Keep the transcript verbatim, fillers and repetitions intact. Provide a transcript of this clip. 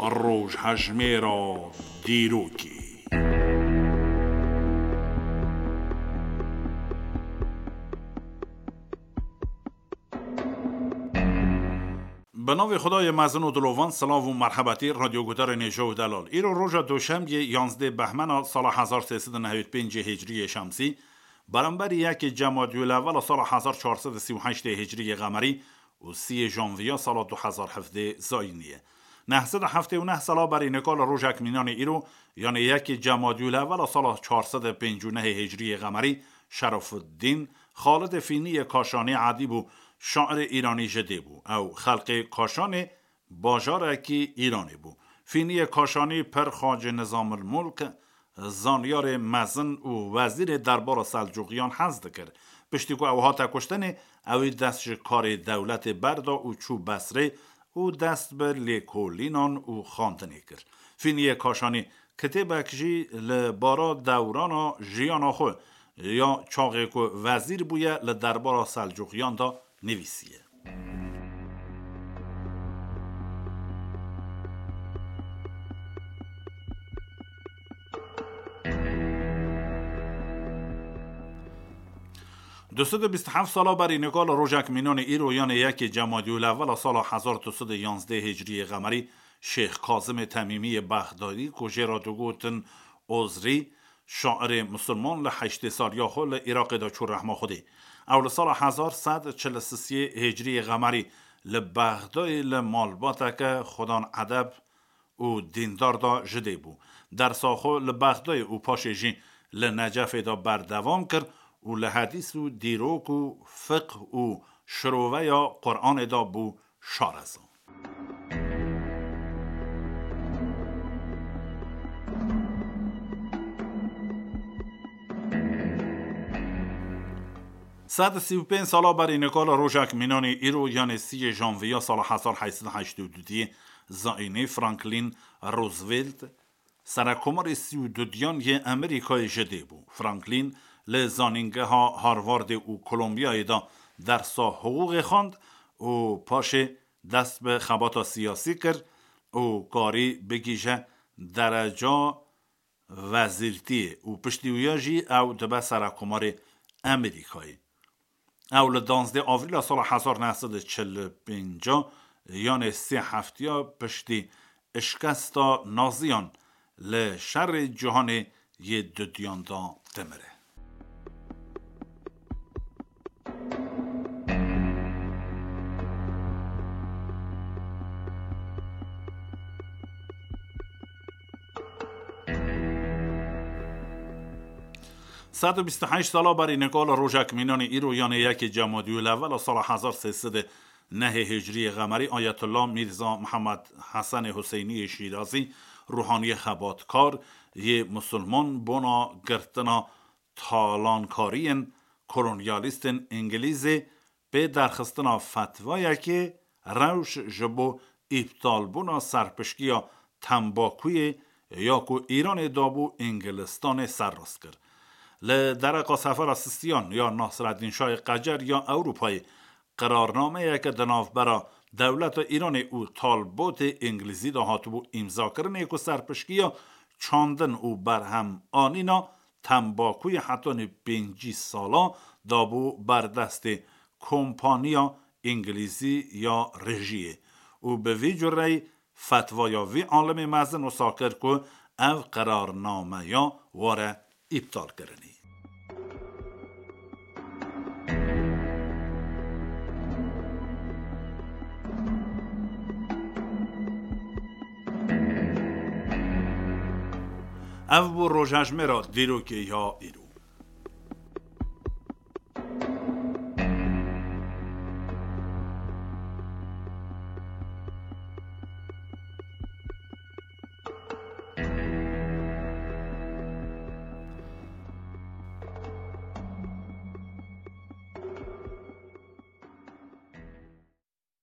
Rojhejmêra dîrokê. Bi navê Xwedayê mezin û dilovan, silav û merhebetî, radyoguhdarên hêja û delal. Îro roja doşemiyê, yanzdeh behmena sala hezar sê sed û nehewî pêncê hicriyê şemsî, beramberî yekê cemadiyûl evvela sala hezar çar sed û sî û heştê hicriyê qemerî û siyê janviya sala du hezar hevdeh zayînî ye. Neh sed û heftê û neh sala berî nika li rojek mînanê îro, yanê yekê cemadiyûl evvela sala çar sed û pêncî û nehê hicriyê qemerî, Şerefuddîn Xalidê Fîniyê Kaşanî edîb û şairê îranî ji dê bû. Ew xelkê Kaşanê bajarekî Îranê bû. Fîniyê Kaşanî pir Xacê Nizamil Mulk, zanyarê mezin û wezîrê derbara Selcuqiyan hez dikir. Piştî ku ew hate kuştinê, ewî dest ji karê dewletê berda û çû Besrê û dest bi lêkolînan û xandinê kir. Fîniyê Kaşanî kitêbek jî li bara dewrana jiyana xwe ya çaxê ku wezîr bûye li derbara Selcuqiyan de nivîsiye. Du sed û bîst û heft sala berî nika li rojek mînanê îro, yanê yekê cemadiyûl evvela sala hezar du sed û yanzdeh hicriyê qemerî, Şêx Kazimê Temîmiyê Bexdadî, ku jê re digotin Ozrî, şairê misilman, li heştê saliya xwe li Iraqê de çû rehma Xwedê. Ew li sala hezar sed çil û sisê hicriyê qemerî li Bexdayê li malbateke xwedan edeb û dîndar de ji dê bû. Dersa xwe li Bexdayê û paşê jî li Necefê de berdewam kir û li hedîs û dîrok û fiqh û şiroveya Quranê de bû şareza. Sed û sî û pênc sala berî nika li rojek mînanê îro, yanê siyê janviya sala hezar heyt sed û heştê û du diyê zayînî, Franklin Roosevelt, serekomarê sî û dudiyan yê Amerîkayê ji dê bû. Franklin li zanîngeha Harvardê û Kolombiyayê de dersa hiqûqê xwend û paşê dest bi xebata siyasî kir û karî bigihîje dereca wezîrtiyê û piştî wîya jî ew dibe serekomarê Amerîkayê. Ew li danzdeh Avrîla sala hezar neh sed û çil û pênc, yanê sê heftiya piştî şikesta Naziyan li şerê cîhanê yê dudiyan de dimire. Sed û bîst û heşt sala berî nika li rojek mînanê îro, yanê yekê cemadiyûl evvela sala hezar sê sed û nehê hicriyê qemerî, Ayetullah Mîrza Mihemed Hesenê Huseyniyê Şîrazî, ruhaniyê xebatkar yê misilman, bona girtina talankariyên kolonyalîstên îngilîzê pê derxistina fetvayekê rewş ji bo îptalbûna serpişkiya tembakuyê ya ku Îranê dabû Îngilistanê serrast kir. Li dereqa sefera Sistiyan ya Nasreddîn Şahê Qecer ya Ewropayê, qirarnameyeke di navbera dewleta Îranê û talbotê Îngilîzî de hatibû îmzakirinê ku serpişkiya çandin û berhem anîna tembakuyê hetanî pêncî sala dabû ber destê kompaniya Îngilîzî ya rejiyê û bi vî cureyî fetvaya vî alimê mezin wisa kir ku ev qirarnameya were îptalkirinê. Ev bû rojhejmêra dîrokê ya îro.